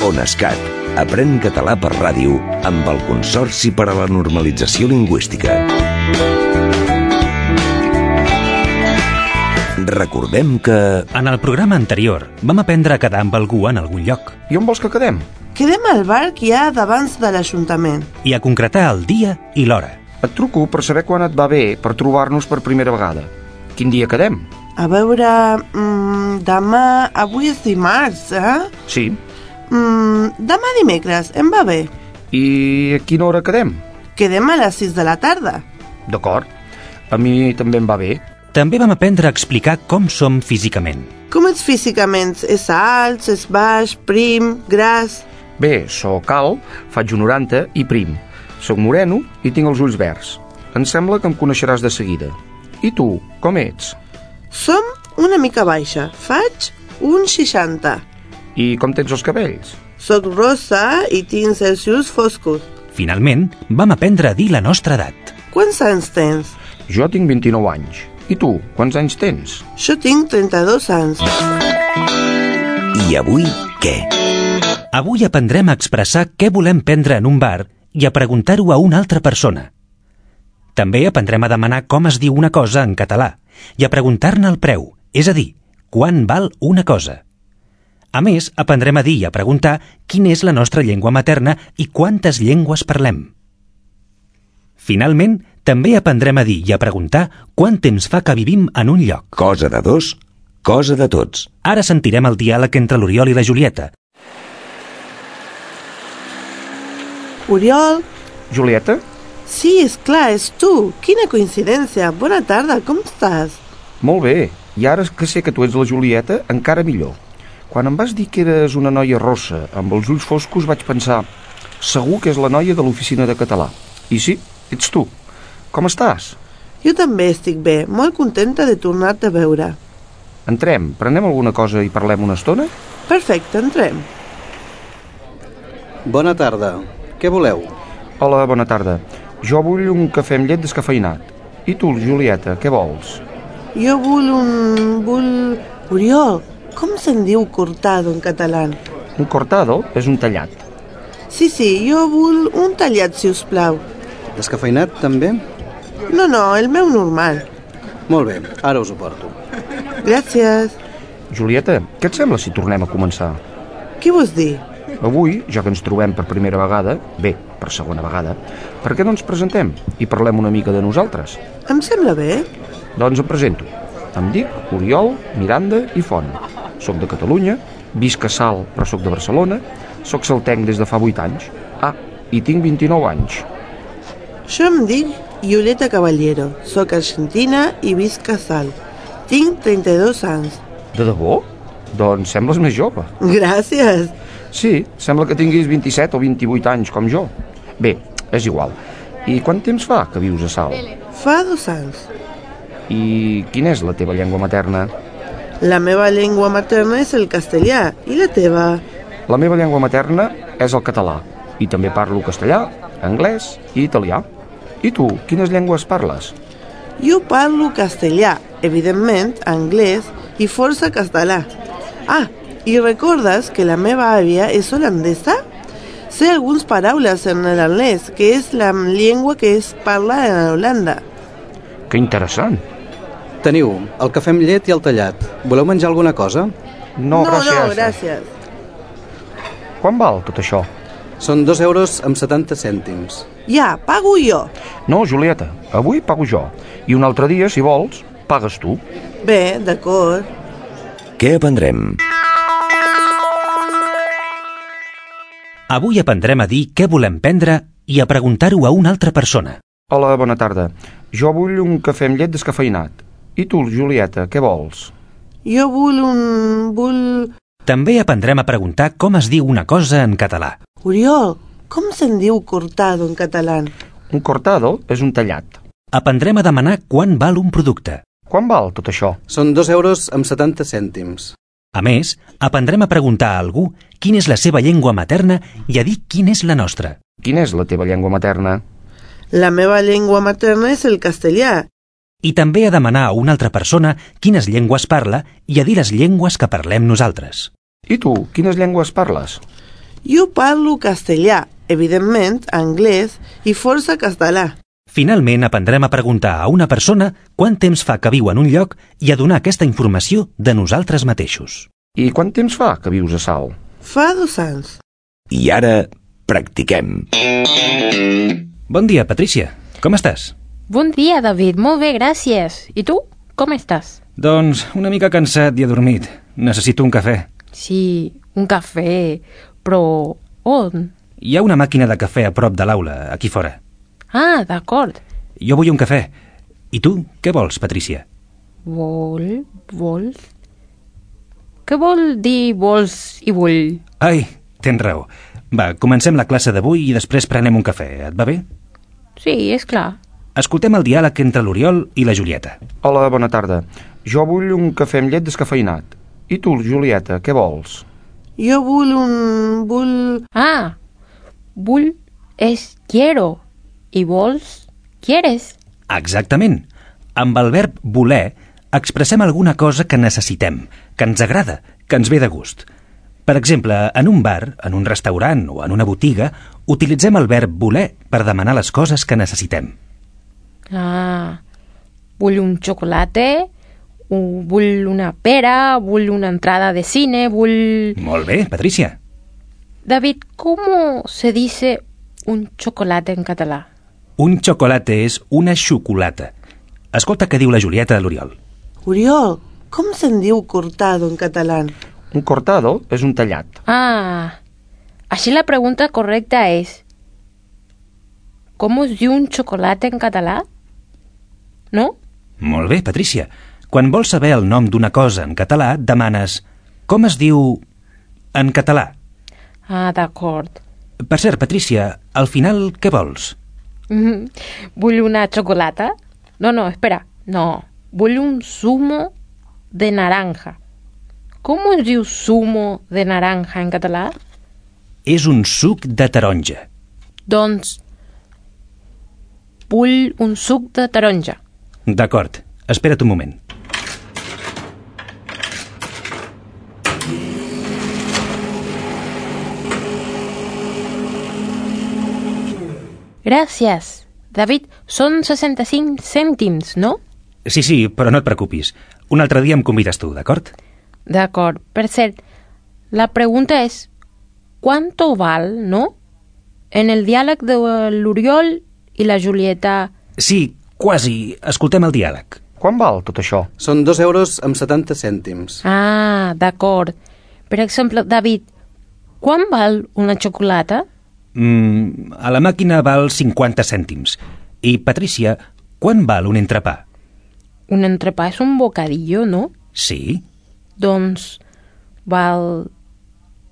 ONESCAT. Aprèn català per ràdio amb el Consorci per a la Normalització Lingüística. Recordem que... En el programa anterior vam aprendre a quedar amb algú en algun lloc. I on vols que quedem? Quedem al bar que hi ha davant de l'Ajuntament. I a concretar el dia i l'hora. Et truco per saber quan et va bé per trobar-nos per primera vegada. Quin dia quedem? A veure... demà... Avui és dimarts, Sí. Demà dimecres, em va bé. I a quina hora quedem? Quedem a les 6 de la tarda. D'acord. A mi també em va bé. També vam aprendre a explicar com som físicament. Com ets físicament? És alt, és baix, prim, gras... Bé, sóc alt, faig un 90 i prim. Soc moreno i tinc els ulls verds. Em sembla que em coneixeràs de seguida. I tu, com ets? Som una mica baixa. Faig un 60. I com tens els cabells? Soc rosa i tinc els ulls foscos. Finalment, vam aprendre a dir la nostra edat. Quants anys tens? Jo tinc 29 anys. I tu, quants anys tens? Jo tinc 32 anys. I avui, què? Avui aprendrem a expressar què volem prendre en un bar i a preguntar-ho a una altra persona. També aprendrem a demanar com es diu una cosa en català i a preguntar-ne el preu, és a dir, quant val una cosa. A més, aprendrem a dir i a preguntar quina és la nostra llengua materna i quantes llengües parlem. Finalment, també aprendrem a dir i a preguntar quant temps fa que vivim en un lloc. Cosa de dos, cosa de tots. Ara sentirem el diàleg entre l'Oriol i la Julieta. Oriol? Julieta? Sí, és clar, és tu. Quina coincidència. Bona tarda, com estàs? Molt bé. I ara que sé que tu ets la Julieta, encara millor. Quan em vas dir que eres una noia rossa, amb els ulls foscos, vaig pensar segur que és la noia de l'oficina de català. I sí, ets tu. Com estàs? Jo també estic bé, molt contenta de tornar-te a veure. Entrem, prenem alguna cosa i parlem una estona? Perfecte, entrem. Bona tarda. Què voleu? Hola, bona tarda. Jo vull un cafè amb llet descafeïnat. I tu, Julieta, què vols? Jo vull... Oriol, com se'n diu cortado en català? Un cortado és un tallat. Sí, jo vull un tallat, si us plau. Descafeïnat, també? No, el meu normal. Molt bé, ara us ho porto. Gràcies. Julieta, què et sembla si tornem a començar? Què vols dir? Avui, ja que ens trobem per primera vegada, bé, per segona vegada, per què no ens presentem i parlem una mica de nosaltres? Em sembla bé. Doncs em presento. Em dic Oriol Miranda i Font. Soc de Catalunya, visc a Salt, però soc de Barcelona, soc saltenc des de fa 8 anys. I tinc 29 anys. Jo em dic Julieta Caballero, soc argentina i visc a Salt. Tinc 32 anys. De debò? Doncs sembles més jove. Gràcies. Sí, sembla que tinguis 27 o 28 anys, com jo. Bé, és igual. I quant temps fa que vius a Salt? Fa 2 anys. I quina és la teva llengua materna? La meva llengua materna és el castellà. I la teva? La meva llengua materna és el català. I també parlo castellà, anglès i italià. I tu, quines llengües parles? Jo parlo castellà, evidentment, anglès i força català. I recordes que la meva àvia és holandesa? Sé algunes paraules en l'holandès, que és la llengua que es parla a Holanda. Que interessant. Teniu el cafè amb llet i el tallat. Voleu menjar alguna cosa? No, gràcies. Gràcies. Quan val tot això? Són 2 euros amb 70 cèntims. Ja, pago jo. No, Julieta, avui pago jo. I un altre dia, si vols, pagues tu. Bé, d'acord. Què aprendrem? Avui aprendrem a dir què volem prendre i a preguntar-ho a una altra persona. Hola, bona tarda. Jo vull un cafè amb llet descafeïnat. I tu, Julieta, què vols? Jo vull... També aprendrem a preguntar com es diu una cosa en català. Oriol, com se'n diu cortado en català? Un cortado és un tallat. Aprendrem a demanar quant val un producte. Quan val tot això? Són 2 euros amb 70 cèntims. A més, aprendrem a preguntar a algú quina és la seva llengua materna i a dir quina és la nostra. Quina és la teva llengua materna? La meva llengua materna és el castellà. I també a demanar a una altra persona quines llengües parla i a dir les llengües que parlem nosaltres. I tu, quines llengües parles? Jo parlo castellà, evidentment, anglès i força català. Finalment aprendrem a preguntar a una persona quant temps fa que viu en un lloc i a donar aquesta informació de nosaltres mateixos. I quant temps fa que vius a Salt? Fa 2 anys. I ara practiquem. Bon dia, Patrícia. Com estàs? Bon dia, David. Molt bé, gràcies. I tu? Com estàs? Doncs una mica cansat i adormit. Necessito un cafè. Sí, un cafè. Però on? Hi ha una màquina de cafè a prop de l'aula, aquí fora. Ah, d'acord. Jo vull un cafè. I tu, què vols, Patrícia? Vols? Què vol dir vols i vull? Ai, tens raó. Va, comencem la classe d'avui i després prenem un cafè. Et va bé? Sí, és clar. Escoltem el diàleg entre l'Oriol i la Julieta. Hola, bona tarda. Jo vull un cafè amb llet descafeïnat. I tu, Julieta, què vols? Jo vull... Ah, vull és quiero. I vols, quieres. Exactament. Amb el verb voler expressem alguna cosa que necessitem, que ens agrada, que ens ve de gust. Per exemple, en un bar, en un restaurant o en una botiga, utilitzem el verb voler per demanar les coses que necessitem. Ah, vull un chocolate, vull una pera, vull una entrada de cine, vull... Molt bé, Patrícia. David, ¿cómo se dice un chocolate en català? Un chocolate és una xocolata. Escolta què diu la Julieta a l'Oriol. Oriol, com se'n diu cortado en català? Un cortado és un tallat. Ah, així la pregunta correcta és ¿cómo es diu un chocolate en català? No? Molt bé, Patrícia. Quan vols saber el nom d'una cosa en català, demanes com es diu en català. Ah, d'acord. Per cert, Patrícia, al final què vols? Vull una xocolata? No, espera. No, vull un zumo de naranja. ¿Cómo es diu zumo de naranja en català? És un suc de taronja. Doncs vull un suc de taronja. D'acord, espera't un moment. Gràcies. David, són 65 cèntims, no? Sí, però no et preocupis. Un altre dia em convides tu, d'acord? D'acord. Per cert, la pregunta és ¿cuánto val, no? En el diàleg de l'Oriol i la Julieta... Sí, quasi. Escoltem el diàleg. Quan val tot això? Són 2 euros amb 70 cèntims. Ah, d'acord. Per exemple, David, quan val una xocolata? A la màquina val 50 cèntims. I, Patrícia, quan val un entrepà? Un entrepà és un bocadillo, no? Sí. Doncs val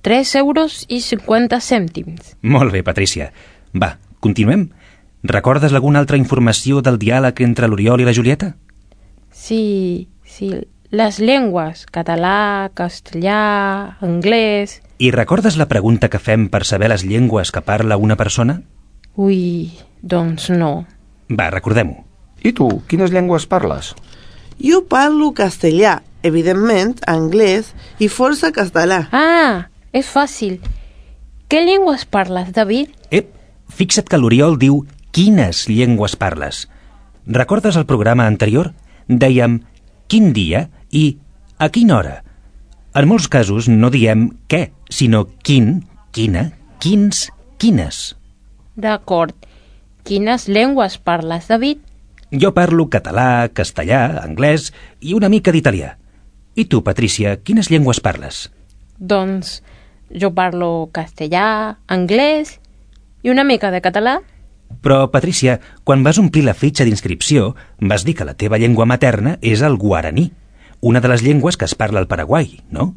3 euros i 50 cèntims. Molt bé, Patrícia. Va, continuem. Recordes alguna altra informació del diàleg entre l'Oriol i la Julieta? Sí. Les llengües, català, castellà, anglès... I recordes la pregunta que fem per saber les llengües que parla una persona? Ui, doncs no. Va, recordem-ho. I tu, quines llengües parles? Jo parlo castellà, evidentment, anglès i força català. Ah, és fàcil. Què llengües parles, David? Fixa't que l'Oriol diu quines llengües parles. Recordes el programa anterior? Dèiem quin dia i a quina hora. En molts casos no diem què, sinó quin, quina, quins, quines. D'acord. Quines llengües parles, David? Jo parlo català, castellà, anglès i una mica d'italià. I tu, Patrícia, quines llengües parles? Doncs jo parlo castellà, anglès i una mica de català. Però, Patrícia, quan vas omplir la fitxa d'inscripció, vas dir que la teva llengua materna és el guaraní, una de les llengües que es parla al Paraguai, no?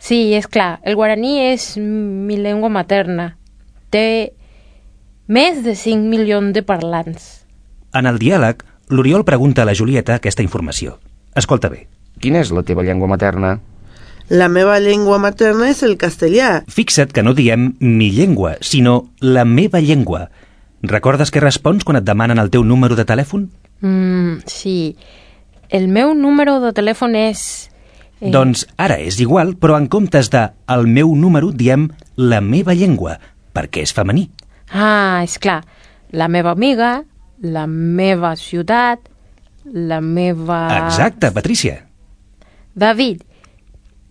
Sí, és clar. El guaraní és mi llengua materna. Té més de 5 milions de parlants. En el diàleg, l'Oriol pregunta a la Julieta aquesta informació. Escolta bé. Quina és la teva llengua materna? La meva llengua materna és el castellà. Fixa't que no diem mi llengua, sinó la meva llengua. Recordes què respons quan et demanen el teu número de telèfon? Sí. El meu número de telèfon és Doncs ara és igual, però en comptes de el meu número diem la meva llengua, perquè és femení. Ah, és clar. La meva amiga, la meva ciutat, la meva... Exacte, Patrícia. David,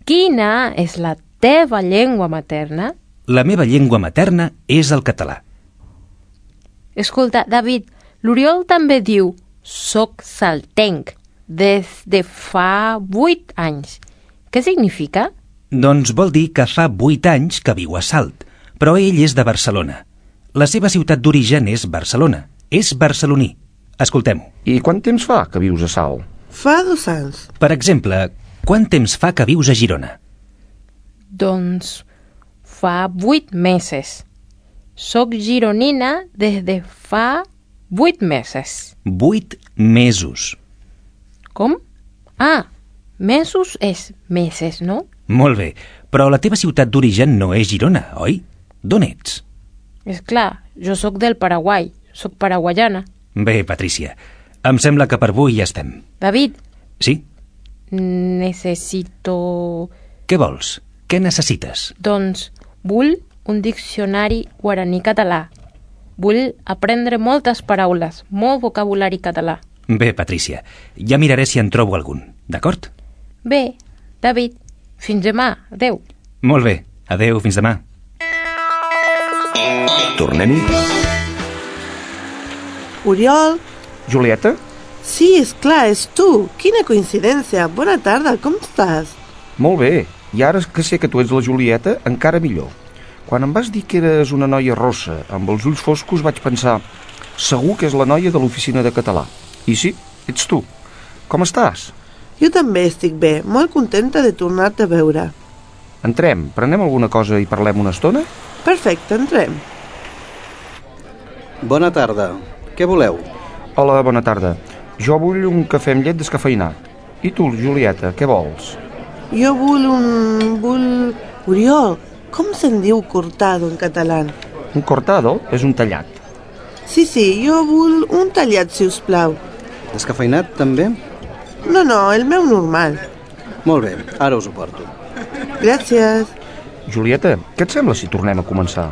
quina és la teva llengua materna? La meva llengua materna és el català. Escolta, David, l'Oriol també diu «soc saltenc» des de fa 8 anys. Què significa? Doncs vol dir que fa 8 anys que viu a Salt, però ell és de Barcelona. La seva ciutat d'origen és Barcelona. És barceloní. Escoltem-ho. I quant temps fa que vius a Salt? Fa 2 anys. Per exemple, quant temps fa que vius a Girona? Doncs fa 8 mesos. Soc gironina des de fa 8 mesos. 8 mesos. Com? Ah, mesos és meses, no? Molt bé, però la teva ciutat d'origen no és Girona, oi? D'on ets? És clar, jo sóc del Paraguai. Sóc paraguaiana. Bé, Patrícia, em sembla que per avui ja estem. David, Sí? necessito... Què vols? Què necessites? Doncs vull un diccionari guaraní-català. Vull aprendre moltes paraules, molt vocabulari català. Bé, Patrícia, ja miraré si en trobo algun, d'acord? Bé, David, fins demà. Adéu. Molt bé, adeu, fins demà. Tornem-hi? Oriol? Julieta? Sí, és clar, és tu. Quina coincidència. Bona tarda, com estàs? Molt bé. I ara que sé que tu ets la Julieta, encara millor. Quan em vas dir que eres una noia rossa, amb els ulls foscos, vaig pensar segur que és la noia de l'oficina de català. I sí, ets tu. Com estàs? Jo també estic bé, molt contenta de tornar-te a veure. Entrem, prenem alguna cosa i parlem una estona? Perfecte, entrem. Bona tarda. Què voleu? Hola, bona tarda. Jo vull un cafè amb llet descafeïnat. I tu, Julieta, què vols? Jo vull... Oriol, com se'n diu cortado en català? Un cortado és un tallat. Sí, jo vull un tallat, si us plau. Descafeinat, també? No, el meu normal. Molt bé, ara us ho porto. Gràcies. Julieta, què et sembla si tornem a començar?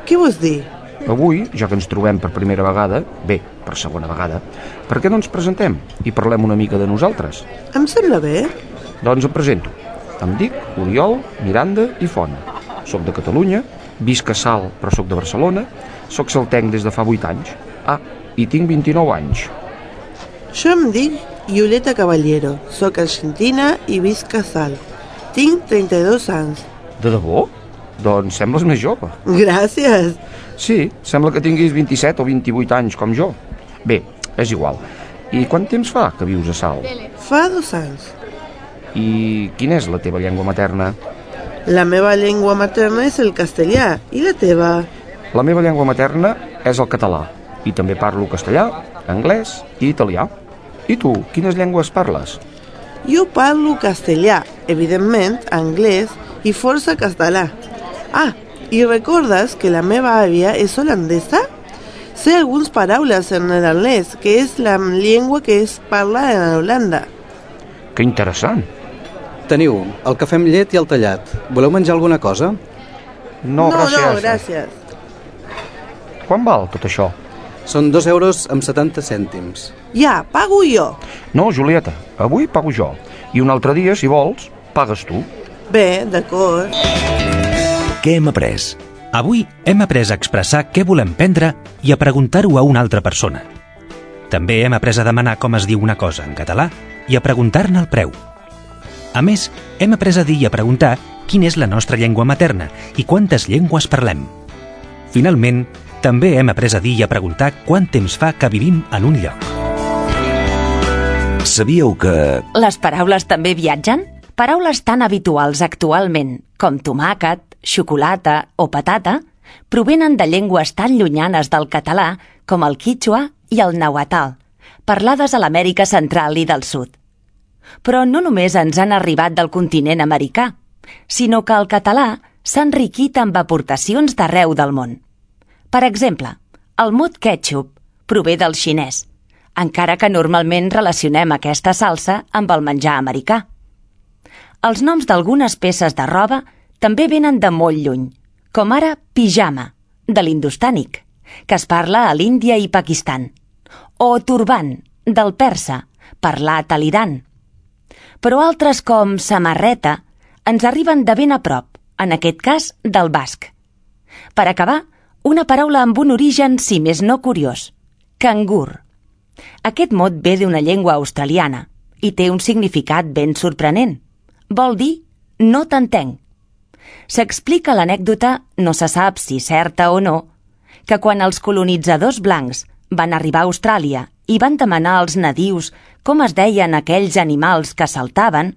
Què vols dir? Avui, ja que ens trobem per primera vegada, bé, per segona vegada, per què no ens presentem i parlem una mica de nosaltres? Em sembla bé. Doncs em presento. Em dic Oriol Miranda i Font. Soc de Catalunya, visc a Salt, però soc de Barcelona, soc saltenc des de fa 8 anys. Ah, i tinc 29 anys. Jo em dic Violeta Caballero, soc argentina i visc a Salt. Tinc 32 anys. De debò? Doncs sembles més jove. Gràcies. Sí, sembla que tinguis 27 o 28 anys, com jo. Bé, és igual. I quant temps fa que vius a Salt? Fa 2 anys. I quina és la teva llengua materna? La meva llengua materna és el castellà. I la teva? La meva llengua materna és el català. I també parlo castellà, anglès i italià. I tu, quines llengües parles? Jo parlo castellà, evidentment, anglès i força català. Ah, i recordes que la meva àvia és holandesa? Sé algunes paraules en neerlandès, que és la llengua que es parla en Holanda. Que interessant. Teniu el cafè amb llet i el tallat. Voleu menjar alguna cosa? No, gràcies. gràcies. Quan val tot això? Són 2 euros amb 70 cèntims. Ja, pago jo. No, Julieta, avui pago jo. I un altre dia, si vols, pagues tu. Bé, d'acord. Què hem après? Avui hem après a expressar què volem prendre i a preguntar-ho a una altra persona. També hem après a demanar com es diu una cosa en català i a preguntar-ne el preu. A més, hem après a dir i a preguntar quina és la nostra llengua materna i quantes llengües parlem. Finalment, també hem après a dir i a preguntar quant temps fa que vivim en un lloc. Sabíeu que... Les paraules també viatgen? Paraules tan habituals actualment com tomàquet, xocolata o patata provenen de llengües tan llunyanes del català com el quítxua i el nàhuatl, parlades a l'Amèrica Central i del Sud. Però no només ens han arribat del continent americà, sinó que el català s'ha enriquit amb aportacions d'arreu del món. Per exemple, el mot ketchup prové del xinès, encara que normalment relacionem aquesta salsa amb el menjar americà. Els noms d'algunes peces de roba també venen de molt lluny, com ara pijama, de l'hindostànic, que es parla a l'Índia i Pakistan, o turban, del persa, parlat a l'Iran. Però altres com samarreta ens arriben de ben a prop, en aquest cas del basc. Per acabar, una paraula amb un origen, si més no curiós, cangur. Aquest mot ve d'una llengua australiana i té un significat ben sorprenent. Vol dir no t'entenc. S'explica l'anècdota, no se sap si certa o no, que quan els colonitzadors blancs van arribar a Austràlia i van demanar als nadius com es deien aquells animals que saltaven,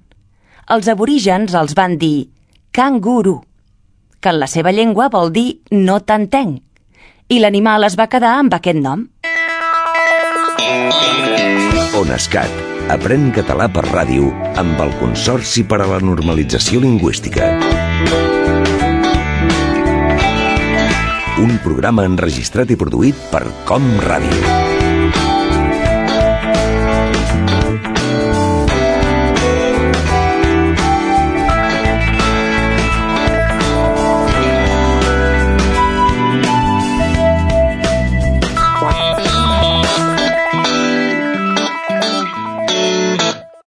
els aborígens els van dir canguru, que en la seva llengua vol dir no t'entenc, i l'animal es va quedar amb aquest nom. ONESCAT. Aprèn català per ràdio amb el Consorci per a la Normalització Lingüística. Un programa enregistrat i produït per Com Ràdio.